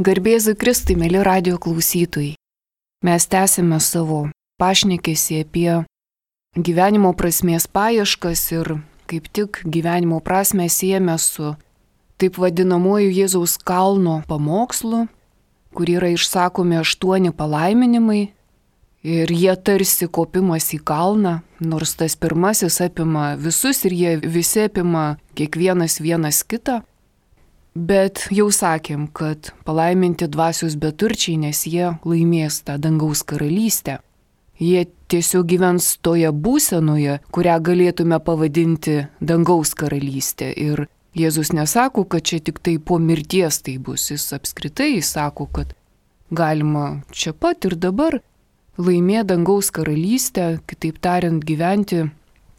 Garbėzui Kristui, mėly radio klausytojai. Mes tęsime savo pašnekesį apie gyvenimo prasmės paieškas ir kaip tik gyvenimo prasmę siejame su taip vadinamuoju Jėzaus kalno pamokslu, kur yra išsakomi 8 palaiminimai ir jie tarsi kopimas į kalną, nors tas pirmasis apima visus ir jie visi apima kiekvienas vienas kitą. Bet jau sakėm, kad palaiminti dvasios beturčiai, nes jie laimės tą dangaus karalystę. Jie tiesiog gyvens toje būsenoje, kurią galėtume pavadinti dangaus karalystė. Ir Jėzus nesako, kad čia tik tai po mirties tai bus. Jis apskritai sako, kad galima čia pat ir dabar laimėti dangaus karalystę, kitaip tariant, gyventi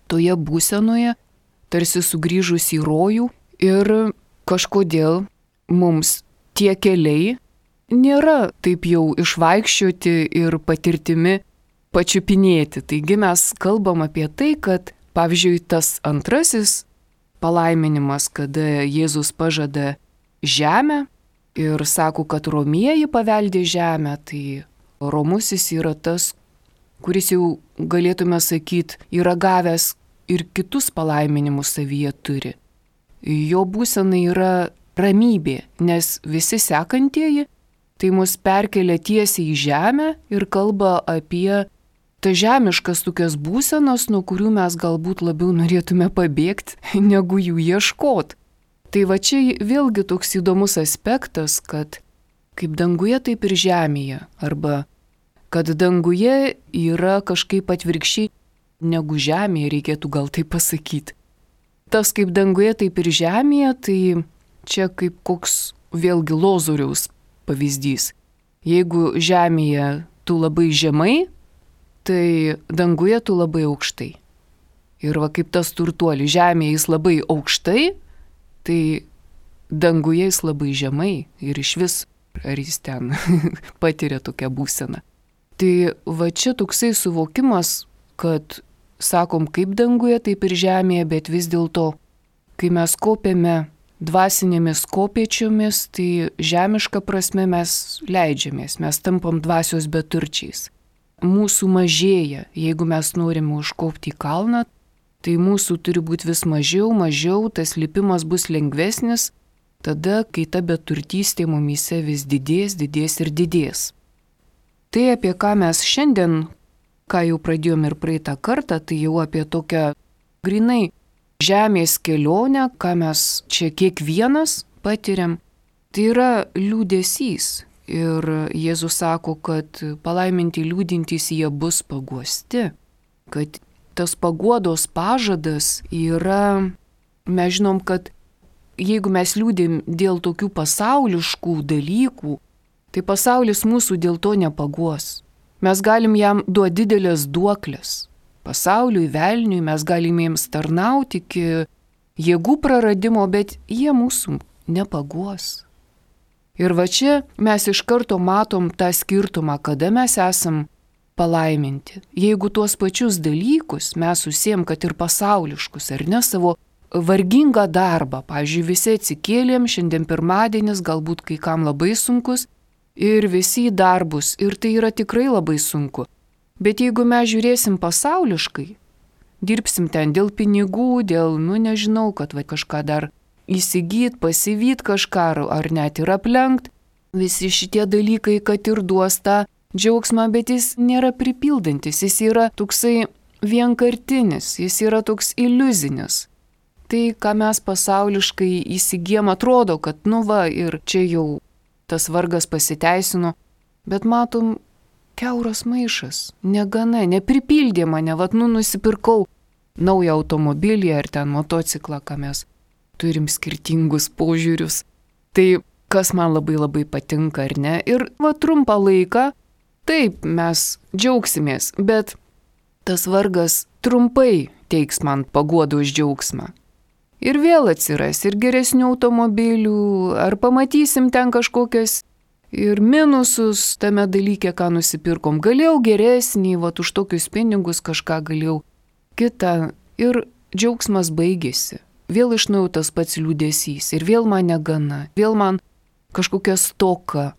toje būsenoje, tarsi sugrįžus į rojų. Ir kažkodėl mums tie keliai nėra taip jau išvaikščioti ir patirtimi pačiupinėti. Taigi mes kalbam apie tai, kad pavyzdžiui tas antrasis palaiminimas, kada Jėzus pažada žemę ir sako, kad romieji paveldė žemę, tai romusis yra tas, kuris jau galėtume sakyti, yra gavęs ir kitus palaiminimus savyje turi. Jo būsena yra ramybė, nes visi sekantieji tai mus perkelia tiesiai į žemę ir kalba apie tas žemiškas tokias būsenas, nuo kurių mes galbūt labiau norėtume pabėgti, negu jų ieškot. Tai va čia vėlgi toks įdomus aspektas, kad kaip danguje, taip ir žemėje, arba kad danguje yra kažkaip atvirkščiai negu žemėje, reikėtų gal tai pasakyti. Tas kaip danguje, taip ir žemėje, tai čia kaip koks vėlgi Lozoriaus pavyzdys. Jeigu žemėje tu labai žemai, tai danguje tu labai aukštai. Ir va kaip tas turtuolis, žemėje jis labai aukštai, tai danguje jis labai žemai ir iš vis ar jis ten patiria tokią būseną. Tai va čia toksai suvokimas, kad sakom kaip danguje, taip ir žemėje, bet vis dėlto, kai mes kopiame dvasinėmis kopėčiomis, tai žemiška prasme mes leidžiamės, mes tampam dvasios beturčiais. Mūsų mažėja, jeigu mes norime užkopti į kalną, tai mūsų turi būti vis mažiau, tas lipimas bus lengvesnis, tada, kai ta beturtystė mumyse vis didės ir didės. Tai apie ką mes šiandien, ką jau pradėjom ir praeitą kartą, tai jau apie tokią grinai žemės kelionę, ką mes čia kiekvienas patiriam, tai yra liūdesys. Ir Jėzus sako, kad palaiminti liūdintys jie bus paguosti, kad tas paguodos pažadas yra, mes žinom, kad jeigu mes liūdim dėl tokių pasauliškų dalykų, tai pasaulis mūsų dėl to nepaguos. Mes galim jam duoti didelės duoklės. Pasauliui, velniui mes galim jiems tarnauti iki jėgų praradimo, bet jie mūsų nepaguos. Ir va čia mes iš karto matom tą skirtumą, kada mes esam palaiminti. Jeigu tuos pačius dalykus mes susiem, kad ir pasauliškus, ar ne, savo vargingą darbą, pavyzdžiui, visi atsikėlėm, šiandien pirmadienis, galbūt kai kam labai sunkus, ir visi į darbus, ir tai yra tikrai labai sunku. Bet jeigu mes žiūrėsim pasauliškai, dirbsim ten dėl pinigų, dėl, nežinau, kad kažką dar įsigyt, pasivyt kažką, ar net ir aplenkt, visi šitie dalykai, kad ir duos tą džiaugsmą, bet jis nėra pripildantis, jis yra toksai vienkartinis, jis yra toks iliuzinis. Tai, ką mes pasauliškai įsigijam, atrodo, kad ir čia jau tas vargas pasiteisino, bet matom, kiauras maišas, negana, nepripildė mane, nusipirkau naują automobilį ar ten motociklą, ką mes turim skirtingus požiūrius. Tai kas man labai patinka, ar ne? Ir trumpą laiką, taip, mes džiaugsimės, bet tas vargas trumpai teiks man paguodos džiaugsmą. Ir vėl atsiras ir geresnių automobilių, ar pamatysim ten kažkokias ir minusus tame dalyke, ką nusipirkom. Galėjau geresnį, už tokius pinigus kažką galėjau kitą. Ir džiaugsmas baigėsi. Vėl iš naujo tas pats liūdesys. Ir vėl man negana. Vėl man kažkokia stoka.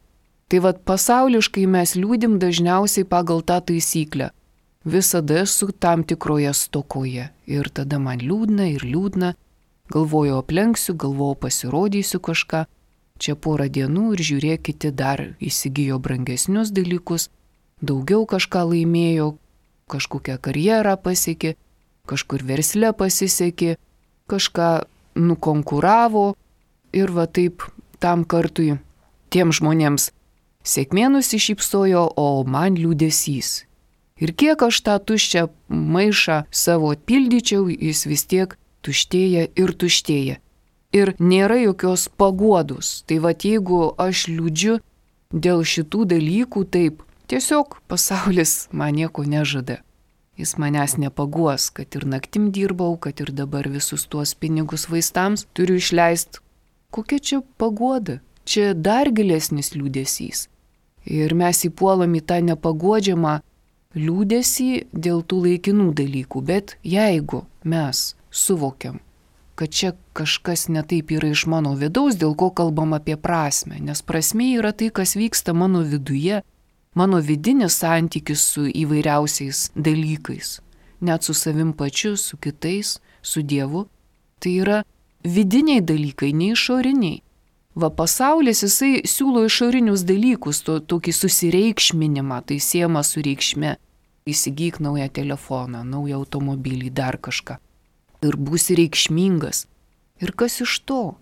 Tai vat pasauliškai mes liūdim dažniausiai pagal tą taisyklę. Visada esu tam tikroje stokoje. Ir tada man liūdna ir liūdna. Galvoju aplenksiu, galvoju pasirodysiu kažką. Čia porą dienų ir žiūrėk, kiti dar įsigijo brangesnius dalykus. Daugiau kažką laimėjo, kažkokią karjerą pasiekė, kažkur versle pasisekė, kažką nukonkuravo. Ir va taip tam kartui tiem žmonėms sėkmė nusišypsojo, o man liūdesys. Ir kiek aš tą tuščią maišą savo pildyčiau, jis vis tiek tuštėja ir tuštėja. Ir nėra jokios paguodos. Tai va jeigu aš liūdžiu dėl šitų dalykų, taip, tiesiog pasaulis man nieko nežada. Jis manęs nepaguos, kad ir naktim dirbau, kad ir dabar visus tuos pinigus vaistams turiu išleisti. Kokia čia paguoda? Čia dar gilesnis liūdesys. Ir mes įpuolam į tą nepaguodžiamą liūdesį dėl tų laikinų dalykų. Bet jeigu mes suvokiam, kad čia kažkas netaip yra iš mano vidaus, dėl ko kalbam apie prasmę, nes prasmė yra tai, kas vyksta mano viduje, mano vidinis santykis su įvairiausiais dalykais, net su savim pačiu, su kitais, su Dievu. Tai yra vidiniai dalykai, ne išoriniai. Va pasaulis jisai siūlo išorinius dalykus, tokį susireikšminimą, tai siejama su reikšme. Įsigyk naują telefoną, naują automobilį, dar kažką. Ir būsi reikšmingas. Ir kas iš to?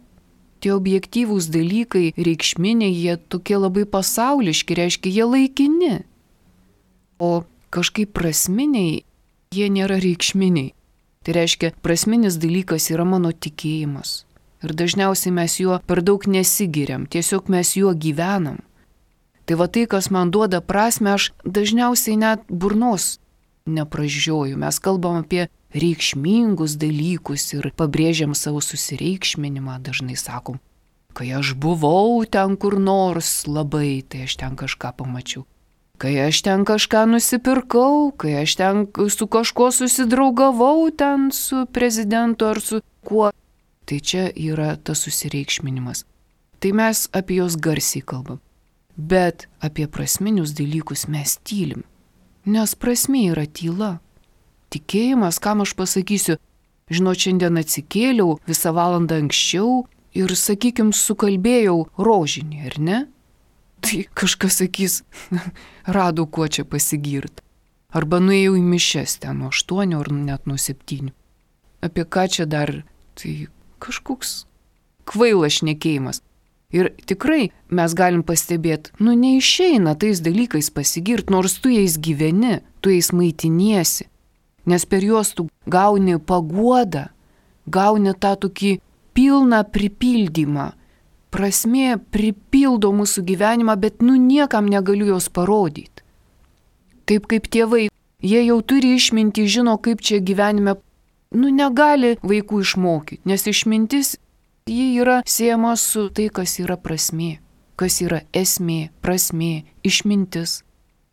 Tie objektyvūs dalykai, reikšminiai, jie tokie labai pasauliški, reiškia, jie laikini. O kažkaip prasminiai, jie nėra reikšminiai. Tai reiškia, prasminis dalykas yra mano tikėjimas. Ir dažniausiai mes juo per daug nesigiriam, tiesiog mes juo gyvenam. Tai va tai, kas man duoda prasmę, aš dažniausiai net burnos nepražioju. Mes kalbam apie reikšmingus dalykus ir pabrėžiam savo susireikšminimą, dažnai sakom. Kai aš buvau ten kur nors labai, tai aš ten kažką pamačiau. Kai aš ten kažką nusipirkau, kai aš ten su kažkuo susidraugavau, ten su prezidentu ar su kuo. Tai čia yra tas susireikšminimas. Tai mes apie juos garsiai kalbam. Bet apie prasminius dalykus mes tylim. Nes prasmė yra tyla. Tikėjimas, kam aš pasakysiu, žinot, šiandien atsikėliau visą valandą anksčiau ir, sakykim, sukalbėjau rožinį, ar ne? Tai kažkas sakys, rado kuo čia pasigirt. Arba nuėjau į mišias ten nuo 8 ar net nuo 7. Apie ką čia dar? Tai kažkoks kvailas šnekėjimas. Ir tikrai mes galim pastebėti, neišeina tais dalykais pasigirt, nors tu jais gyveni, tu jais maitiniesi. Nes per juos tu gauni paguodą, gauni tą tokį pilną pripildymą. Prasmė pripildo mūsų gyvenimą, bet niekam negaliu jos parodyti. Taip kaip tėvai, jie jau turi išmintį, žino, kaip čia gyvenime. Negali vaikų išmokyti, nes išmintis, ji yra siejama su tai, kas yra prasmė, kas yra esmė, prasmė, išmintis.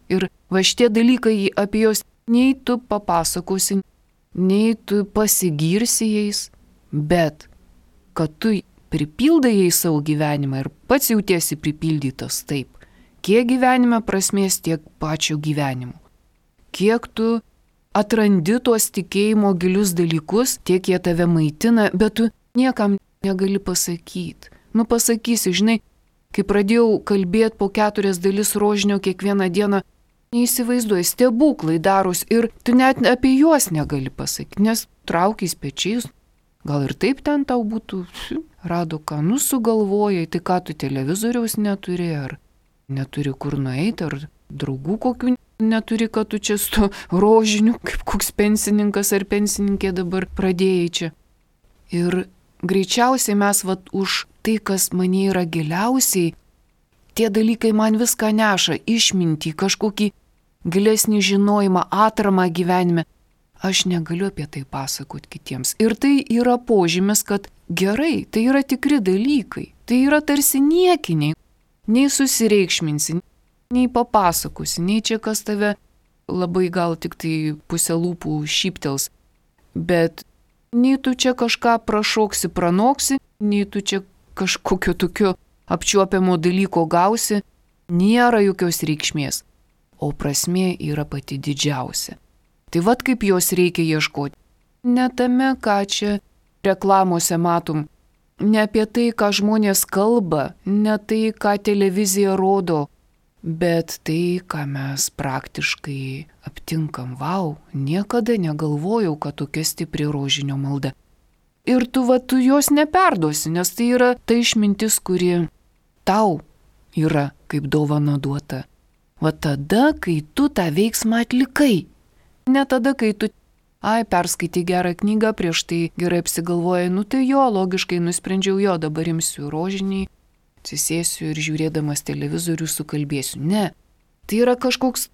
Ir va šitie dalykai, apie juos nei tu papasakosi, nei tu pasigirsi jais, bet kad tu pripildai jais savo gyvenimą ir pats jautiesi pripildytas taip, kiek gyvenime prasmės, tiek pačio gyvenimo. Kiek tu atrandi tuos tikėjimo gilius dalykus, tiek jie tave maitina, bet tu niekam negali pasakyti. Pasakysi, žinai, kai pradėjau kalbėti po 4 dalis rožinio kiekvieną dieną, neįsivaizduoji, stebuklai daros ir tu net apie juos negali pasakyti, nes traukiais pečiais, gal ir taip ten tau būtų, rado ką, sugalvojai, tai ką tu televizoriaus neturi, ar neturi kur nueiti, ar draugų kokių neturi, kad tu čia su rožiniu, kaip koks pensininkas ar pensininkė dabar pradėjai čia. Ir greičiausiai mes už tai, kas mane yra giliausiai, tie dalykai man viską neša, išmintį, kažkokį gilesnį žinojimą, atramą gyvenime. Aš negaliu apie tai pasakoti kitiems. Ir tai yra požymis, kad gerai, tai yra tikri dalykai. Tai yra tarsi niekiniai. Nei susireikšminsi, nei papasakosi, nei čia kas tave labai gal tik tai pusę lūpų šyptels. Bet nei tu čia kažką prašoksi, pranoksi, nei tu čia kažkokio tokio apčiuopiamo dalyko gausi, nėra jokios reikšmės, o prasmė yra pati didžiausia. Tai vat kaip jos reikia ieškoti. Ne tame, ką čia reklamose matom, ne apie tai, ką žmonės kalba, ne tai, ką televizija rodo, bet tai, ką mes praktiškai aptinkam. Vau, niekada negalvojau, kad tokia stipri rožinio malda. Ir tu jos neperduosi, nes tai yra ta išmintis, kuri tau yra kaip dovana duota. Va tada, kai tu tą veiksmą atlikai. Ne tada, kai tu, perskaitai gerą knygą, prieš tai gerai apsigalvojai, tai jo, logiškai nusprendžiau jo, dabar imsiu rožinį, atsisėsiu ir žiūrėdamas televizorių sukalbėsiu. Ne, tai yra kažkoks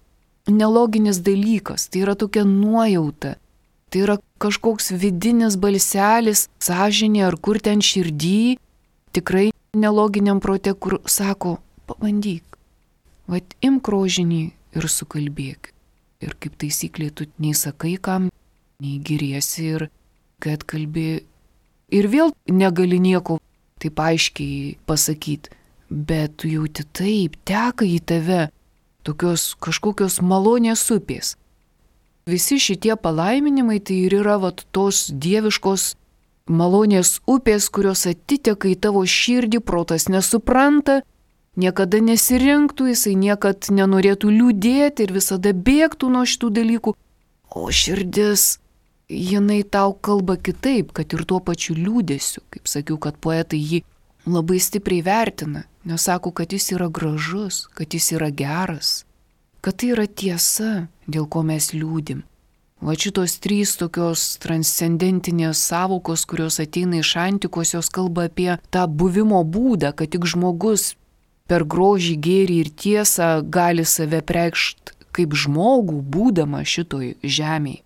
neloginis dalykas, tai yra tokia nuojauta, tai yra kažkoks vidinis balselis, sąžinė ar kur ten širdį, tikrai neloginiam prote, kur sako, pabandyk, vat imk rožinį ir sukalbėk. Ir kaip taisyklė, tu nei sakai kam, nei giriesi ir kad kalbi. Ir vėl negali nieko taip aiškiai pasakyti, bet tu jauti taip, teka į tave tokios kažkokios malonės upės. Visi šitie palaiminimai tai ir yra tos dieviškos malonės upės, kurios atiteka į tavo širdį, protas nesupranta, niekada nesirinktų, jisai niekad nenorėtų liūdėti ir visada bėgtų nuo šitų dalykų. O širdis, jinai tau kalba kitaip, kad ir tuo pačiu liūdėsiu. Kaip sakiau, kad poetai jį labai stipriai vertina, nes sako, kad jis yra gražus, kad jis yra geras, kad tai yra tiesa, dėl ko mes liūdim. Va šitos trys tokios transcendentinės savokos, kurios ateina iš antikos, jos kalba apie tą buvimo būdą, kad tik žmogus per grožį, gėrį ir tiesą gali save preikšti kaip žmogų, būdama šitoj žemėje.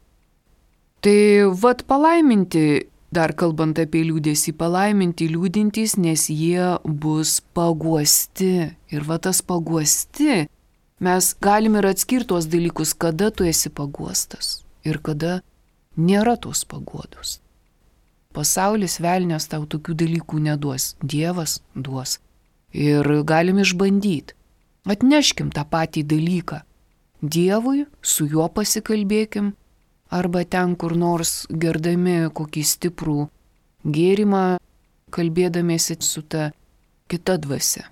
Tai vat palaiminti, dar kalbant apie liūdėsį, palaiminti liūdintys, nes jie bus paguosti. Ir va tas paguosti, mes galim ir atskirti tuos dalykus, kada tu esi paguostas ir kada nėra tos paguodos. Pasaulis, velnias tau tokių dalykų neduos, Dievas duos. Ir galim išbandyti. Atneškim tą patį dalyką Dievui, su juo pasikalbėkim, arba ten kur nors gerdami kokį stiprų gėrimą, kalbėdamiesi su ta kita dvasia.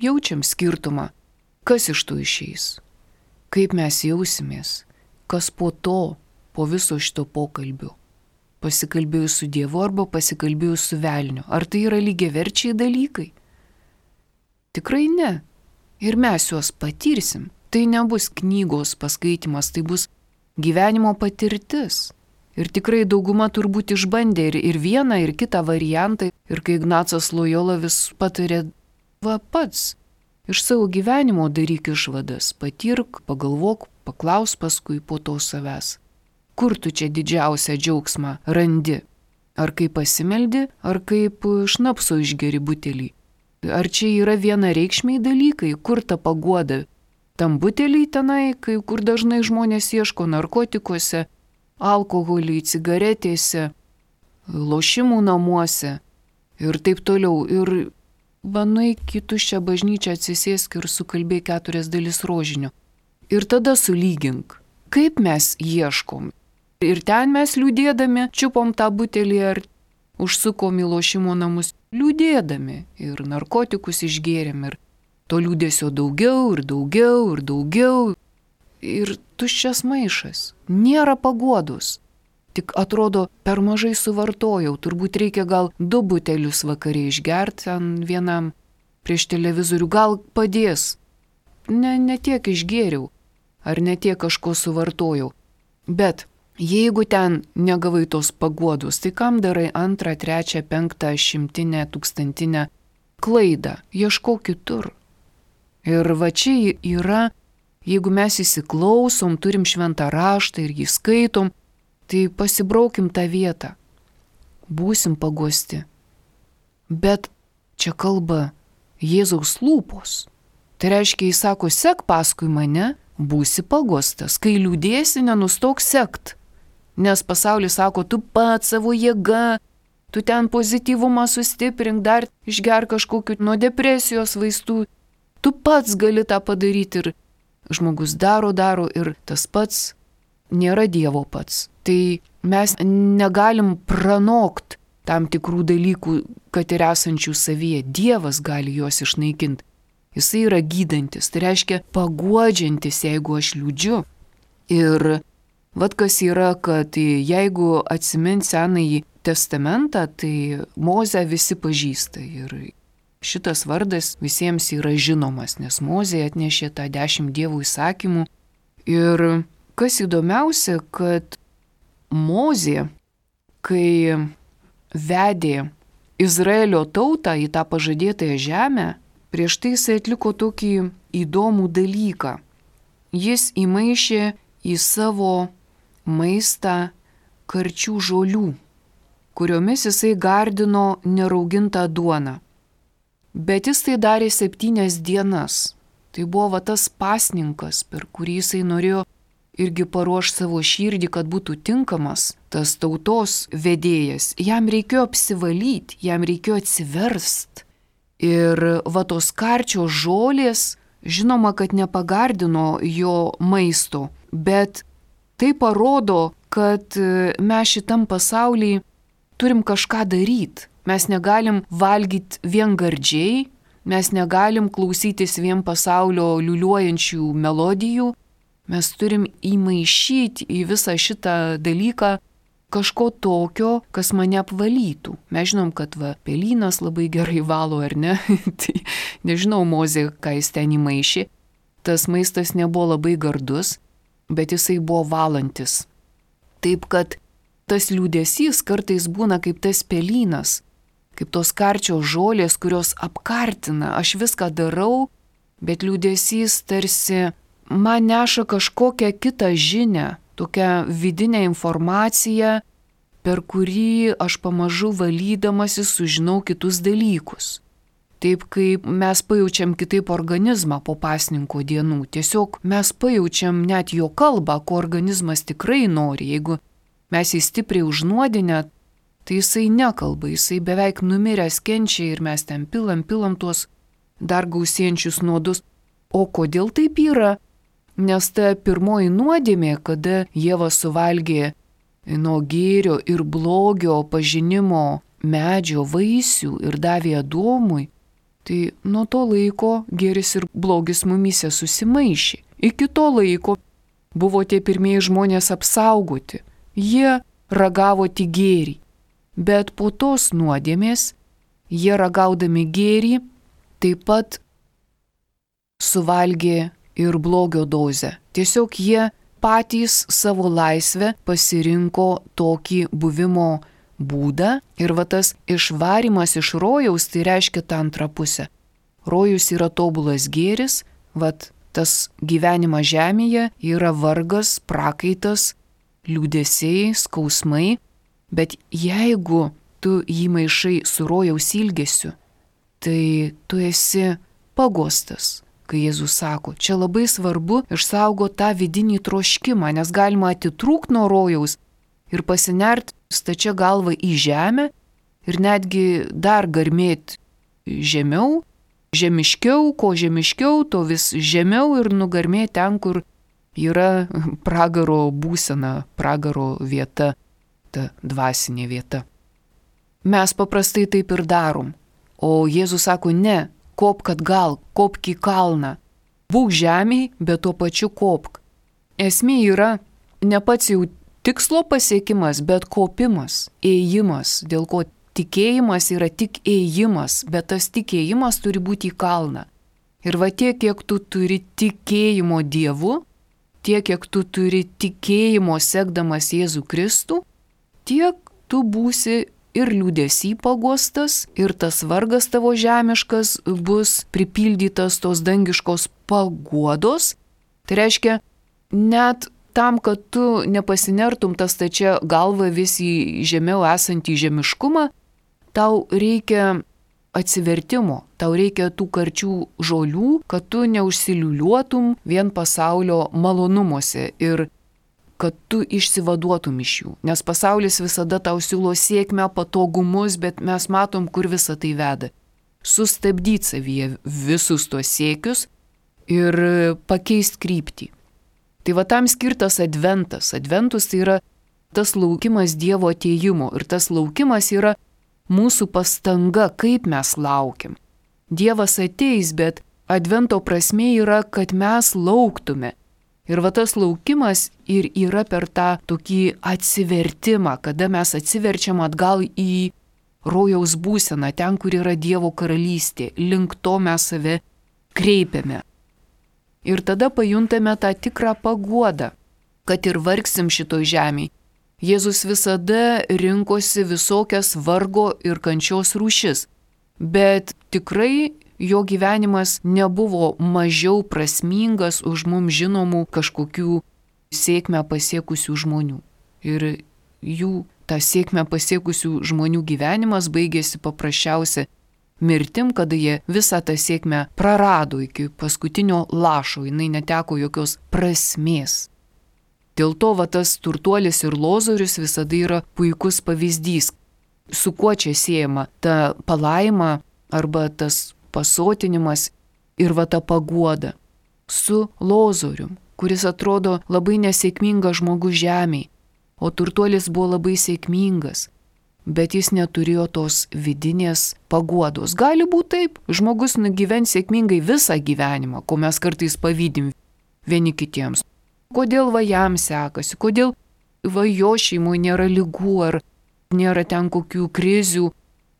Jaučiam skirtumą, kas iš to išeis, kaip mes jausimės, kas po to, po viso šito pokalbio. Pasikalbėjus su Dievu arba pasikalbėjus su velniu. Ar tai yra lygiaverčiai dalykai? Tikrai ne. Ir mes juos patirsim. Tai nebus knygos paskaitimas, tai bus gyvenimo patirtis. Ir tikrai dauguma turbūt išbandė ir vieną, ir kitą variantą. Ir kai Ignacas Lojola vis patarė, va pats, iš savo gyvenimo daryk išvadas, patirk, pagalvok, paklaus paskui po to savęs. Kur tu čia didžiausią džiaugsmą randi? Ar kaip pasimeldi, ar kaip šnapso išgeri butelį? Ar čia yra vienareikšmiai dalykai, kur ta paguoda? Tam buteliai tenai, kur dažnai žmonės ieško narkotikuose, alkoholį, cigaretėse, lošimų namuose ir taip toliau. Ir nueik į tuščią bažnyčią, atsisėsk ir sukalbėk 4 dalis rožinio. Ir tada sulygink, kaip mes ieškom. Ir ten mes liūdėdami čiupom tą butelį ar užsukom į lošimo namus liūdėdami ir narkotikus išgėrėm ir to liūdėsio daugiau ir daugiau ir daugiau ir tuščias maišas, nėra paguodos, tik atrodo per mažai suvartojau, turbūt reikia gal 2 butelius vakare išgerti ant vienam prieš televizorių, gal padės, ne tiek išgėriau ar ne tiek kažko suvartojau, bet jeigu ten negavai tos paguodos, tai kam darai 2, 3, 5, 100, 1000 klaidą? Ieškok kitur. Ir va čia yra, jeigu mes įsiklausom, turim šventą raštą ir jį skaitom, tai pasibraukim tą vietą. Būsim paguosti. Bet čia kalba Jėzaus lūpos. Tai reiškia, jis sako, sek paskui mane, būsi paguostas. Kai liūdėsi, nenustok sekt. Nes pasaulis sako, tu pats savo jėga, tu ten pozityvumą sustiprink, dar išgerk kažkokiu nuo depresijos vaistų. Tu pats gali tą padaryti ir žmogus daro ir tas pats nėra Dievo pats. Tai mes negalim pranokti tam tikrų dalykų, kad ir esančių savyje. Dievas gali juos išnaikinti. Jisai yra gydantis, tai reiškia paguodžiantis, jeigu aš liūdžiu. Ir vat kas yra, kad jeigu atsimint Senąjį testamentą, tai Mozę visi pažįsta. Ir šitas vardas visiems yra žinomas, nes Mozė atnešė tą 10 Dievo įsakymų. Ir kas įdomiausia, kad Mozė, kai vedė Izraelio tautą į tą pažadėtąją žemę, prieš tai jis atliko tokį įdomų dalyką. Jis įmaišė į savo maistą karčių žolių, kuriomis jisai gardino neraugintą duoną. Bet jis tai darė 7 dienas. Tai buvo tas pasninkas, per kurį jisai norėjo irgi paruošti savo širdį, kad būtų tinkamas tas tautos vedėjas. Jam reikėjo apsivalyti, jam reikėjo atsiverst. Ir tos karčios žolės, žinoma, kad nepagardino jo maisto, bet tai parodo, kad mes šitam pasaulyje turim kažką daryti. Mes negalim valgyti vien gardžiai, mes negalim klausytis vien pasaulio liuliuojančių melodijų. Mes turim įmaišyti į visą šitą dalyką kažko tokio, kas mane apvalytų. Mes žinom, kad pelynas labai gerai valo, ar ne? Tai nežinau, Mozė, ką jis ten įmaišė. Tas maistas nebuvo labai gardus, bet jisai buvo valantis. Taip, kad tas liūdesys kartais būna kaip tas pelynas, kaip tos karčios žolės, kurios apkartina. Aš viską darau, bet liūdesys tarsi man neša kažkokią kitą žinią, tokią vidinę informaciją, per kurį aš pamažu valydamasi sužinau kitus dalykus. Taip kaip mes pajaučiam kitaip organizmą po pasninko dienų. Tiesiog mes pajaučiam net jo kalbą, ko organizmas tikrai nori. Jeigu mes jį stipriai užnuodinę, tai jisai nekalba, jisai beveik numiręs kenčia ir mes ten pilam tuos dar gausėjančius nuodus. O kodėl taip yra? Nes ta pirmoji nuodėmė, kada Ieva suvalgė nuo gėrio ir blogio pažinimo medžio vaisių ir davė Adomui, tai nuo to laiko gėris ir blogis mumyse susimaišė. Iki to laiko buvo tie pirmieji žmonės apsaugoti. Jie ragavo tik gėrį. Bet po tos nuodėmės, jie ragaudami gėrį, taip pat suvalgė ir blogio dozę. Tiesiog jie patys savo laisvę pasirinko tokį buvimo būdą ir tas išvarimas iš rojaus, tai reiškia tą antrą pusę. Rojus yra tobulas gėris, tas gyvenimas žemėje yra vargas, prakaitas, liūdesiai, skausmai, bet jeigu tu jį maišai su rojaus ilgesiu, tai tu esi pagostas. Kai Jėzus sako, čia labai svarbu išsaugoti tą vidinį troškimą, nes galima atitrūkti nuo rojaus ir pasinert stačia galva į žemę ir netgi dar garmėti žemiau, žemiškiau, ko žemiškiau, to vis žemiau ir nugarmėti ten, kur yra pragaro būsena, pragaro vieta, ta dvasinė vieta. Mes paprastai taip ir darom, o Jėzus sako, ne, kopk atgal, kopk į kalną. Būk žemėj, bet tuo pačiu kopk. Esmė yra ne pats jau tikslo pasiekimas, bet kopimas, ėjimas, dėl ko tikėjimas yra tik ėjimas, bet tas tikėjimas turi būti į kalną. Ir tiek, kiek tu turi tikėjimo Dievu, tiek, kiek tu turi tikėjimo sekdamas Jėzų Kristų, tiek tu būsi ir liūdesį pagostas, ir tas vargas tavo žemiškas bus pripildytas tos dangiškos paguodos. Tai reiškia, net tam, kad tu nepasinertum tas stačia galva vis į žemiau esantį žemiškumą, tau reikia atsivertimo, tau reikia tų karčių žolių, kad tu neužsiliuliuotum vien pasaulio malonumuose. Ir kad tu išsivaduotum iš jų. Nes pasaulis visada tau siūlo sėkmę, patogumus, bet mes matom, kur visa tai veda. Sustabdyti savyje visus tuos siekius ir pakeisti kryptį. Tai va tam skirtas adventas. Adventus tai yra tas laukimas Dievo atėjimo ir tas laukimas yra mūsų pastanga, kaip mes laukiam. Dievas ateis, bet advento prasmė yra, kad mes lauktume. Ir va tas laukimas ir yra per tą tokį atsivertimą, kada mes atsiverčiam atgal į rojaus būseną, ten, kur yra Dievo karalystė, link to mes save kreipiame. Ir tada pajuntame tą tikrą paguodą, kad ir vargsim šitoj žemėje. Jėzus visada rinkosi visokias vargo ir kančios rūšis, bet tikrai jo gyvenimas nebuvo mažiau prasmingas už mums žinomų kažkokių sėkmę pasiekusių žmonių. Ir jų tą sėkmę pasiekusių žmonių gyvenimas baigėsi paprasčiausia mirtim, kada jie visą tą sėkmę prarado iki paskutinio lašo, jinai neteko jokios prasmės. Dėl to va tas turtuolis ir lozorius visada yra puikus pavyzdys, su kuo čia siejama ta palaima arba tas pasotinimas ir va ta paguoda. Su lozorium, kuris atrodo labai nesėkmingas žmogus žemėje, o turtuolis buvo labai sėkmingas, bet jis neturėjo tos vidinės paguodos. Gali būti taip, žmogus nugyvens sėkmingai visą gyvenimą, ko mes kartais pavydim vieni kitiems. Kodėl va jam sekasi, kodėl va jo šeimoje nėra ligų ar nėra ten kokių krizių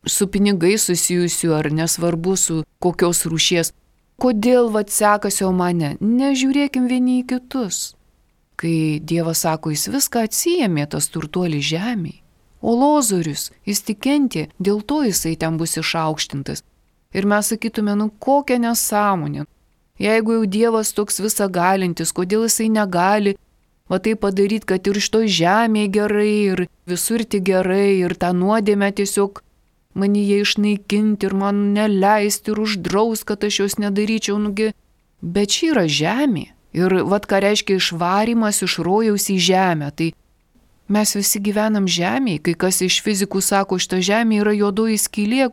su pinigai susijusių ar nesvarbu su kokios rūšies. Kodėl va sekasi o mane? Nežiūrėkim vieni į kitus. Kai Dievas sako, jis viską atsijėmė tas turtuolis žemėje, o lozorius, jis tik kentė, dėl to jisai ten bus išaukštintas. Ir mes sakytume, kokia nesąmonė. Jeigu jau Dievas toks visagalintis, kodėl jisai negali va tai padaryti, kad ir iš to žemėje gerai, ir visur tik gerai, ir tą nuodėmę tiesiog manyje išnaikinti, ir man neleisti, ir uždraus, kad aš jos nedaryčiau, Bet čia yra žemė. Ir vat ką reiškia išvarimas iš rojaus į žemę. Tai mes visi gyvenam žemėje, kai kas iš fizikų sako, šita žemė yra juodoji skylė,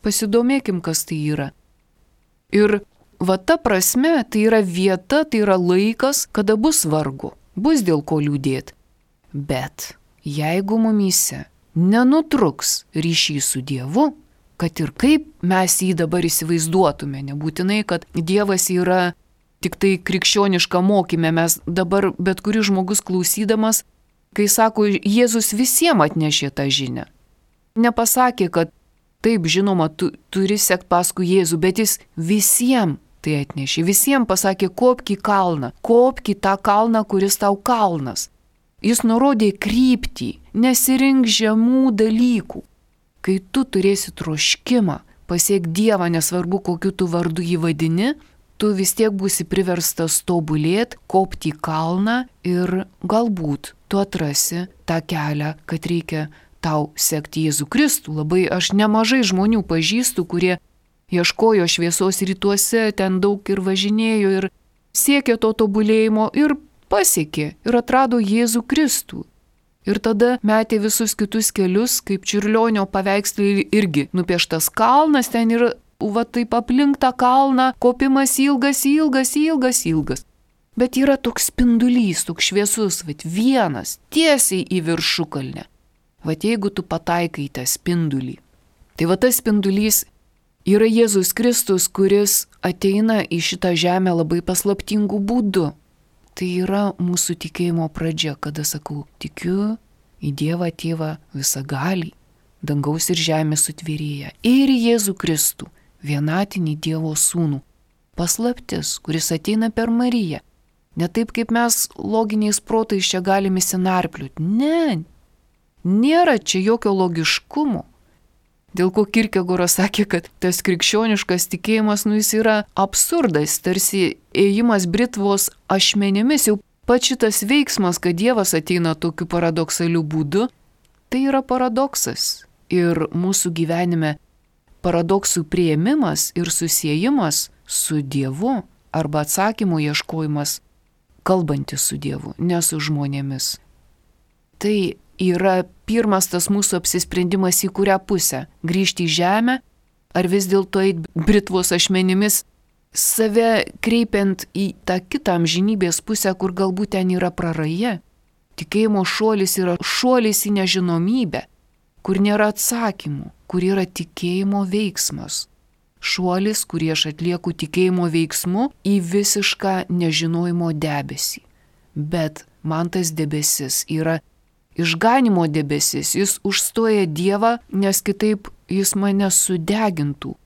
pasidomėkim, kas tai yra. Ir va ta prasme, tai yra vieta, tai yra laikas, kada bus vargu, bus dėl ko liūdėti. Bet jeigu mumyse nenutruks ryšys su Dievu, kad ir kaip mes jį dabar įsivaizduotume, nebūtinai, kad Dievas yra tik tai krikščioniška mokyme, mes dabar bet kuris žmogus klausydamas, kai sako, Jėzus visiems atnešė tą žinią. Nepasakė, kad taip, žinoma, tu turi sekti paskui Jėzų, bet jis visiems tai atnešė. Visiems pasakė, kopk į kalną, kopk į tą kalną, kuris tau kalnas. Jis nurodė kryptį, nesirink žemų dalykų. Kai tu turėsi troškimą pasiekti Dievą, nesvarbu, kokiu tu vardu jį vadini, tu vis tiek būsi priverstas tobulėti, kopti į kalną ir galbūt tu atrasi tą kelią, kad reikia tau sekti Jėzų Kristų. Labai aš nemažai žmonių pažįstu, kurie ieškojo šviesos rytuose, ten daug ir važinėjo ir siekė to tobulėjimo ir pasiekė ir atrado Jėzų Kristų. Ir tada metė visus kitus kelius, kaip Čiurlionio paveikslai irgi nupieštas kalnas, ten yra va taip aplink tą kalną, kopimas ilgas. Bet yra toks spindulys, toks šviesus, vienas, tiesiai į viršukalnę. Jeigu tu pataikai tą spindulį, tai tas spindulys yra Jėzus Kristus, kuris ateina į šitą žemę labai paslaptingų būdų. Tai yra mūsų tikėjimo pradžia, kada sakau, tikiu į Dievą Tėvą visagalį, dangaus ir žemės sutvėrėją, ir Jėzų Kristų, vienatinį Dievo sūnų, paslaptis, kuris ateina per Mariją. Ne taip, kaip mes loginiais protais čia galime įsinarpliuoti. Ne, nėra čia jokio logiškumo. Dėl ko Kierkegoras sakė, kad tas krikščioniškas tikėjimas, jis yra absurdas, tarsi ėjimas britvos ašmenimis, jau pats šitas veiksmas, kad Dievas ateina tokiu paradoksaliu būdu, tai yra paradoksas. Ir mūsų gyvenime paradoksų priėmimas ir susiejimas su Dievu arba atsakymų ieškojimas kalbantis su Dievu, ne su žmonėmis. Tai yra pirmas tas mūsų apsisprendimas, į kurią pusę - grįžti į žemę, ar vis dėlto eiti britvos ašmenimis, save kreipiant į tą kitą amžinybės pusę, kur galbūt ten yra praraja. Tikėjimo šuolis yra šuolis į nežinomybę, kur nėra atsakymų, kur yra tikėjimo veiksmas. Šuolis, kurį aš atlieku tikėjimo veiksmu į visišką nežinojimo debesį. Bet man tas debesis yra išganimo debesis, jis užstoja Dievą, nes kitaip jis mane sudegintų.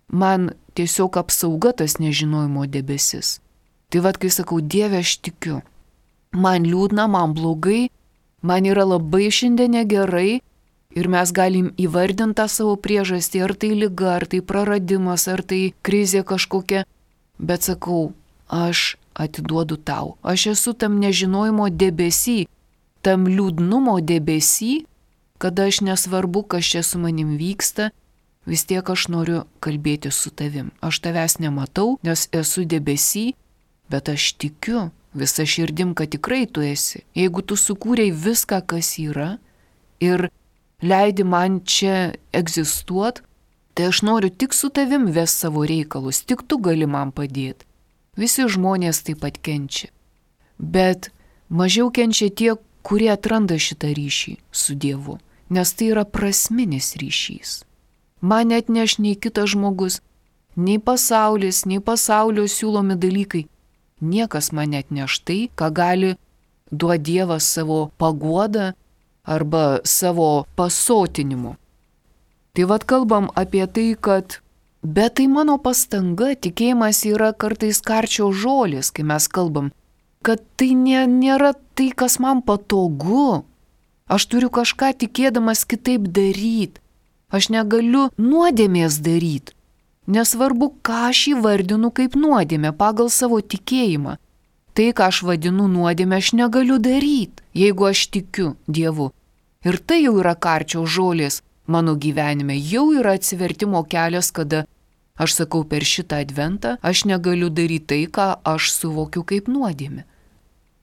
Man tiesiog apsauga tas nežinojimo debesis. Tai vad, kai sakau, Dieve, aš tikiu. Man liūdna, man blogai, man yra labai šiandien negerai ir mes galim įvardinti tą savo priežastį, ar tai liga, ar tai praradimas, ar tai krizė kažkokia. Bet sakau, aš atiduodu tau. Aš esu tam nežinojimo debesy, tam liūdnumo debesy, kada aš nesvarbu, kas čia su manim vyksta, vis tiek aš noriu kalbėti su tavim. Aš tavęs nematau, nes esu debesy, bet aš tikiu visą širdim, kad tikrai tu esi. Jeigu tu sukūrei viską, kas yra ir leidi man čia egzistuot, tai aš noriu tik su tavim ves savo reikalus, tik tu gali man padėti. Visi žmonės taip pat kenčia. Bet mažiau kenčia tie, kurie atranda šitą ryšį su Dievu, nes tai yra prasminis ryšys. Man net neš nei kitas žmogus, nei pasaulis, nei pasaulio siūlomi dalykai. Niekas man net neš tai, ką gali duoti Dievas savo paguodą arba savo pasotinimu. Tai vad kalbam apie tai, kad bet tai mano pastanga, tikėjimas yra kartais karčio žolis, kai mes kalbam, kad tai nėra tai, kas man patogu. Aš turiu kažką tikėdamas kitaip daryti. Aš negaliu nuodėmės daryti. Nesvarbu, ką aš įvardinu kaip nuodėmę pagal savo tikėjimą. Tai, ką aš vadinu nuodėmę, aš negaliu daryti, jeigu aš tikiu Dievu. Ir tai jau yra karčio žolės mano gyvenime, jau yra atsivertimo kelias, kada aš sakau per šitą adventą, aš negaliu daryti tai, ką aš suvokiu kaip nuodėmę.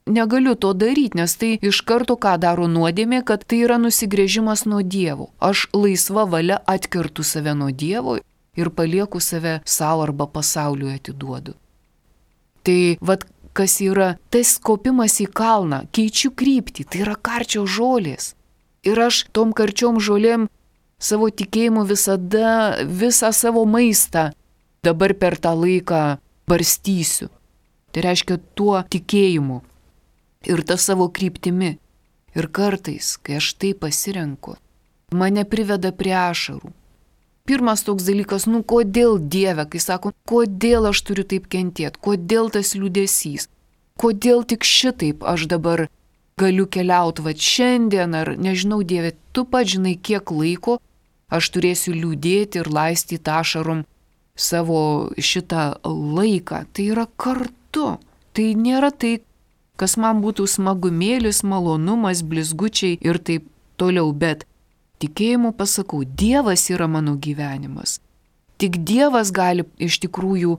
Negaliu to daryti, nes tai iš karto ką daro nuodėmė, kad tai yra nusigręžimas nuo Dievo. Aš laisva valia atkertu save nuo Dievo ir palieku save savo arba pasauliui atiduodu. Tai vad, kas yra tas kopimas į kalną, keičiu kryptį, tai yra karčio žolės. Ir aš tom karčiom žolėm savo tikėjimu visada visą savo maistą dabar per tą laiką barstysiu. Tai reiškia tuo tikėjimu ir tą savo kryptimi. Ir kartais, kai aš tai pasirenku, mane priveda prie ašarų. Pirmas toks dalykas, kodėl Dieve, kai sako, kodėl aš turiu taip kentėti, kodėl tas liūdesys, kodėl tik šitaip aš dabar galiu keliauti va šiandien, ar nežinau, Dieve, tu pats žinai, kiek laiko aš turėsiu liūdėti ir laistyti ašarom savo šitą laiką. Tai yra kartu, tai nėra tai, kas man būtų smagumėlis, malonumas, blizgučiai ir taip toliau, bet tikėjimu pasakau, Dievas yra mano gyvenimas. Tik Dievas gali iš tikrųjų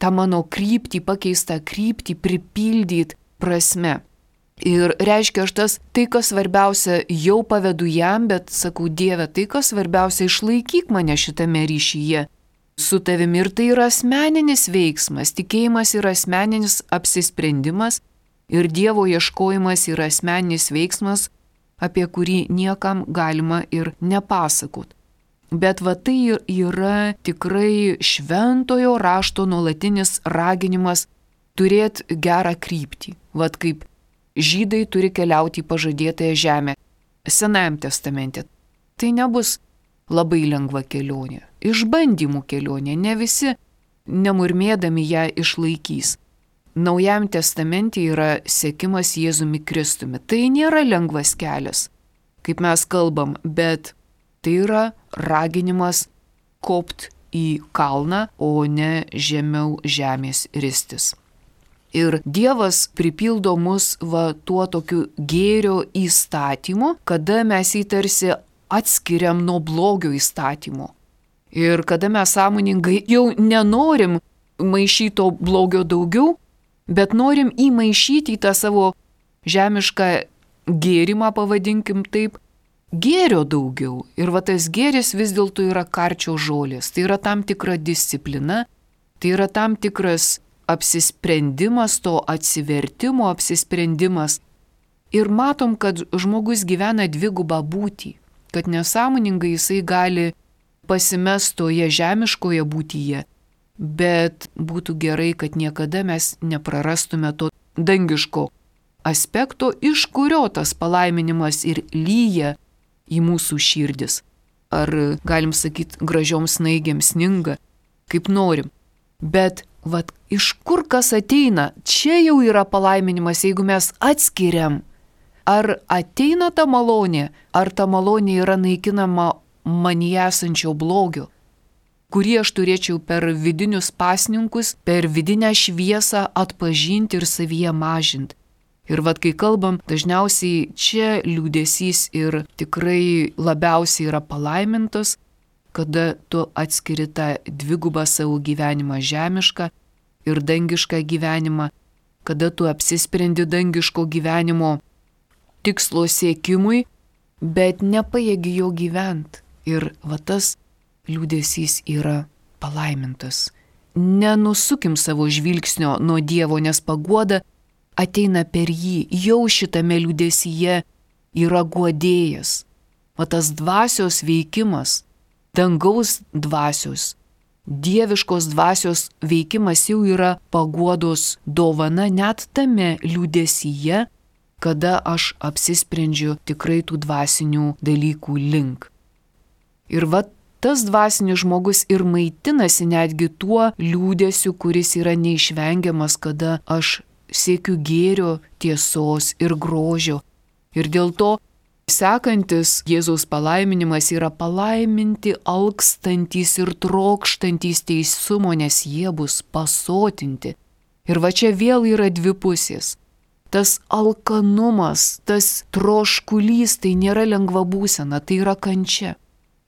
tą mano kryptį, pakeistą kryptį pripildyti prasme. Ir reiškia, aš tai, kas svarbiausia, jau pavedu jam, bet sakau, Dieve, tai, kas svarbiausia, išlaikyk mane šitame ryšyje su tavimi. Ir tai yra asmeninis veiksmas, tikėjimas yra asmeninis apsisprendimas ir Dievo ieškojimas yra asmeninis veiksmas, apie kurį niekam galima ir nepasakot. Bet va tai yra tikrai šventojo rašto nuolatinis raginimas turėti gerą kryptį. Vat kaip žydai turi keliauti į pažadėtąją žemę. Senajam testamente tai nebus labai lengva kelionė. Išbandymų kelionė, ne visi nemurmėdami ją išlaikys. Naujam testamente yra sekimas Jėzumi Kristumi. Tai nėra lengvas kelias, kaip mes kalbam, bet tai yra raginimas kopt į kalną, o ne žemiau žemės ristis. Ir Dievas pripildo mus tuo tokiu gėrio įstatymu, kada mes jį tarsi atskiriam nuo blogio įstatymo. Ir kada mes sąmoningai jau nenorim maišyto blogio daugiau, bet norim įmaišyti į tą savo žemišką gėrimą, pavadinkim taip, gėrio daugiau. Ir va tas gėris vis dėlto yra karčio žolės. Tai yra tam tikra disciplina, tai yra tam tikras apsisprendimas, to atsivertimo apsisprendimas. Ir matom, kad žmogus gyvena dvigubą būtį, kad nesąmoningai jisai gali pasimest toje žemiškoje būtyje, bet būtų gerai, kad niekada mes neprarastume to dangiško aspekto, iš kurio tas palaiminimas ir lyja į mūsų širdis. Ar galim sakyti, gražiom snaigėm sninga, kaip norim. Bet vat, iš kur kas ateina, čia jau yra palaiminimas, jeigu mes atskiriam, ar ateina ta malonė, ar ta malonė yra naikinama manyje esančio blogio, kurį aš turėčiau per vidinius pasninkus, per vidinę šviesą atpažinti ir savyje mažinti. Ir vat kai kalbam, dažniausiai čia liūdesys ir tikrai labiausiai yra palaimintas, kada tu atskiri tą dvigubą savo gyvenimą žemišką ir dangišką gyvenimą, kada tu apsisprendi dangiško gyvenimo tikslo siekimui, bet nepajėgi jo gyventi. Ir va tas liūdesys yra palaimintas. Nenusukim savo žvilgsnio nuo Dievo, nes paguoda ateina per jį, jau šitame liūdesyje yra guodėjas. O tas dvasios veikimas, dangaus dvasios, dieviškos dvasios veikimas jau yra paguodos dovana net tame liūdesyje, kada aš apsisprendžiu tikrai tų dvasinių dalykų link. Ir va tas dvasinis žmogus ir maitinasi netgi tuo liūdesiu, kuris yra neišvengiamas, kada aš siekiu gėrio, tiesos ir grožio. Ir dėl to sekantis Jėzaus palaiminimas yra palaiminti alkstantys ir trokštantys teisumo, nes jie bus pasotinti. Ir va čia vėl yra dvi pusės. Tas alkanumas, tas troškulys, tai nėra lengva būsena, tai yra kančia.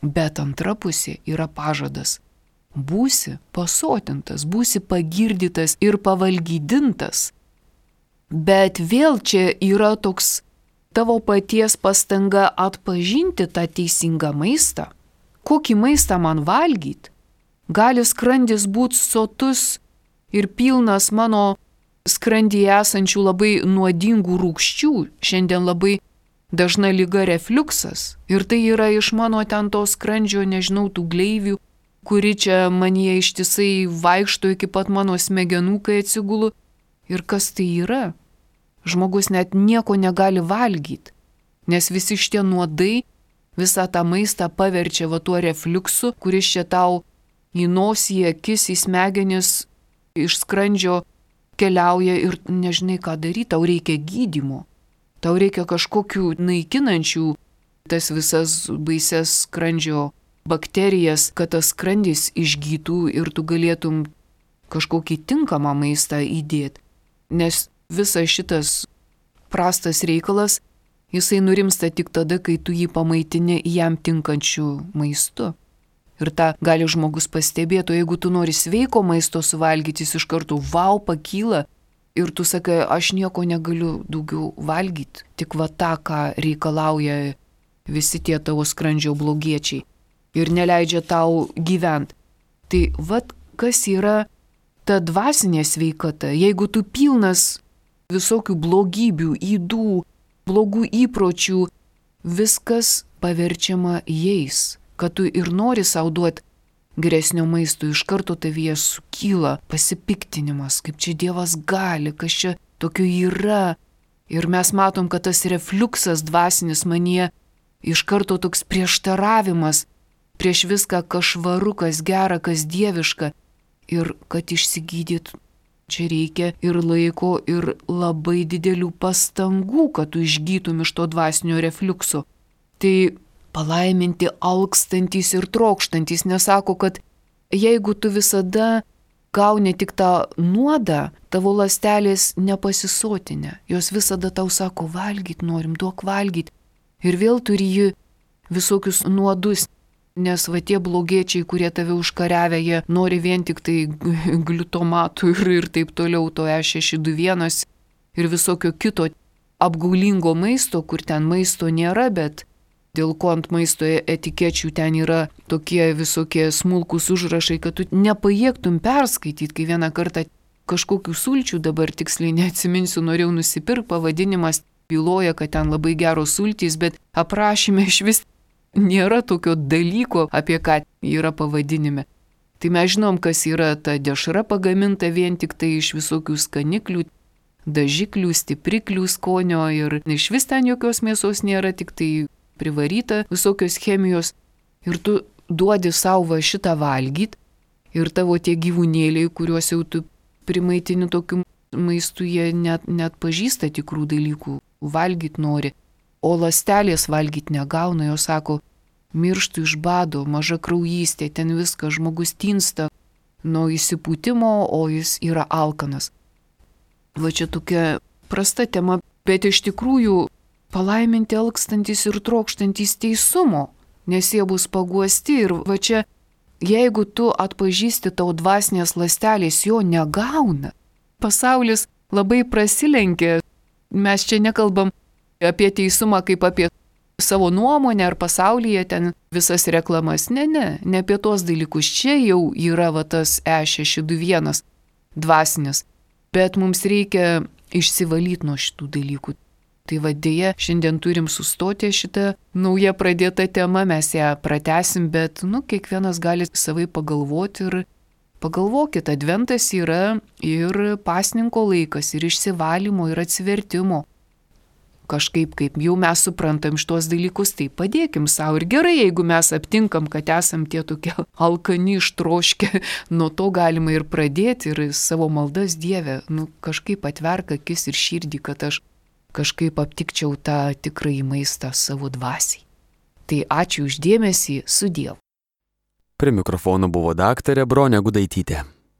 Bet antra pusė yra pažadas. Būsi pasotintas, būsi pagirdytas ir pavalgydintas. Bet vėl čia yra toks tavo paties pastanga atpažinti tą teisingą maistą. Kokį maistą man valgyti? Gali skrandis būti sotus ir pilnas mano skrandyje esančių labai nuodingų rūgščių. Šiandien labai dažna liga refliuksas. Ir tai yra iš mano ten to skrandžio, nežinau, tų gleivių, kuri čia manyje ištisai vaikšto iki pat mano smegenų, kai atsigulu. Ir kas tai yra? Žmogus net nieko negali valgyti, nes visi šitie nuodai visą tą maistą paverčia va tuo refliuksu, kuris čia tau į nosį, akis, į smegenis iš skrandžio keliauja ir nežinai ką daryti, tau reikia gydymo, tau reikia kažkokių naikinančių tas visas baises skrandžio bakterijas, kad tas skrandis išgytų ir tu galėtum kažkokį tinkamą maistą įdėti. Nes visas šitas prastas reikalas, jisai nurimsta tik tada, kai tu jį pamaitini jam tinkančių maistu. Ir tą gali žmogus pastebėti, o jeigu tu nori sveiko maisto suvalgyti, jis iš karto pakyla ir tu sakai, aš nieko negaliu daugiau valgyti, tik va tą, ką reikalauja visi tie tavo skrandžio blogiečiai ir neleidžia tau gyventi. Tai va kas yra ta dvasinė sveikata, jeigu tu pilnas visokių blogybių, ydų, blogų įpročių, viskas paverčiama jais, kad tu ir nori sau duoti geresnio maisto, iš karto tavyje sukyla pasipiktinimas, kaip čia Dievas gali, kas čia tokio yra. Ir mes matom, kad tas refliuksas dvasinis manyje iš karto toks prieštaravimas prieš viską, kas švaru, kas gera, kas dieviška. Ir kad išsigydyt, čia reikia ir laiko, ir labai didelių pastangų, kad tu išgytum iš to dvasinio refliukso. Tai palaiminti alkstantys ir trokštantys nesako, kad jeigu tu visada gauni tik tą nuodą, tavo ląstelės nepasisotinę. Jos visada tau sako, valgyt norim, duok valgyt. Ir vėl turi jį visokius nuodus Nes va tie blogiečiai, kurie tave užkariavę, jie nori vien tik tai gliutomatų ir taip toliau, to E621 ir visokio kito apgaulingo maisto, kur ten maisto nėra, bet dėl ko ant maisto etikečių ten yra tokie visokie smulkus užrašai, kad tu nepajėgtum perskaityti, kai vieną kartą kažkokių sulčių, dabar tiksliai neatsiminsiu, norėjau nusipirkti, pavadinimas byloja, kad ten labai geros sultys, bet aprašyme iš vis nėra tokio dalyko, apie ką yra pavadinime. Tai mes žinom, kas yra ta dešra pagaminta vien tik tai iš visokių skaniklių, dažiklių, stipriklių skonio ir iš vis ten jokios mėsos nėra, tik tai privaryta visokios chemijos. Ir tu duodi savo šitą valgyti ir tavo tie gyvūnėliai, kuriuos jau tu primaitini tokiu maistu, jie net pažįsta tikrų dalykų, valgyti nori. O ląstelės valgyti negauna, jos sako, mirštų iš bado, maža kraujystė, ten viskas, žmogus tinsta nuo įsipūtimo, o jis yra alkanas. Va čia tokia prasta tema, bet iš tikrųjų palaiminti alkstantis ir trokštantis teisumo, nes jie bus paguosti ir va čia, jeigu tu atpažįsti tau dvasinės ląstelės, jo negauna. Pasaulis labai prasilenkia, mes čia nekalbam apie teisumą kaip apie savo nuomonę ar pasaulyje ten visas reklamas. Ne apie tos dalykus. Čia jau yra va tas E621 dvasinis. Bet mums reikia išsivalyti nuo šitų dalykų. Tai va dėja, šiandien turim sustoti šitą naują pradėtą temą, mes ją pratesim, bet kiekvienas gali savai pagalvoti ir pagalvokit, adventas yra ir pasninko laikas, ir išsivalymo, ir atsivertimo. Kažkaip, kaip jau mes suprantam šitos dalykus, tai padėkim savo. Ir gerai, jeigu mes aptinkam, kad esam tie tokie alkani, ištroškę, nuo to galima ir pradėti ir savo maldas Dieve, kažkaip atverk akis ir širdį, kad aš kažkaip aptikčiau tą tikrąjį maistą savo dvasiai. Tai ačiū už dėmesį, sudiev. Prie mikrofono buvo daktarė Bronė Gudaitytė.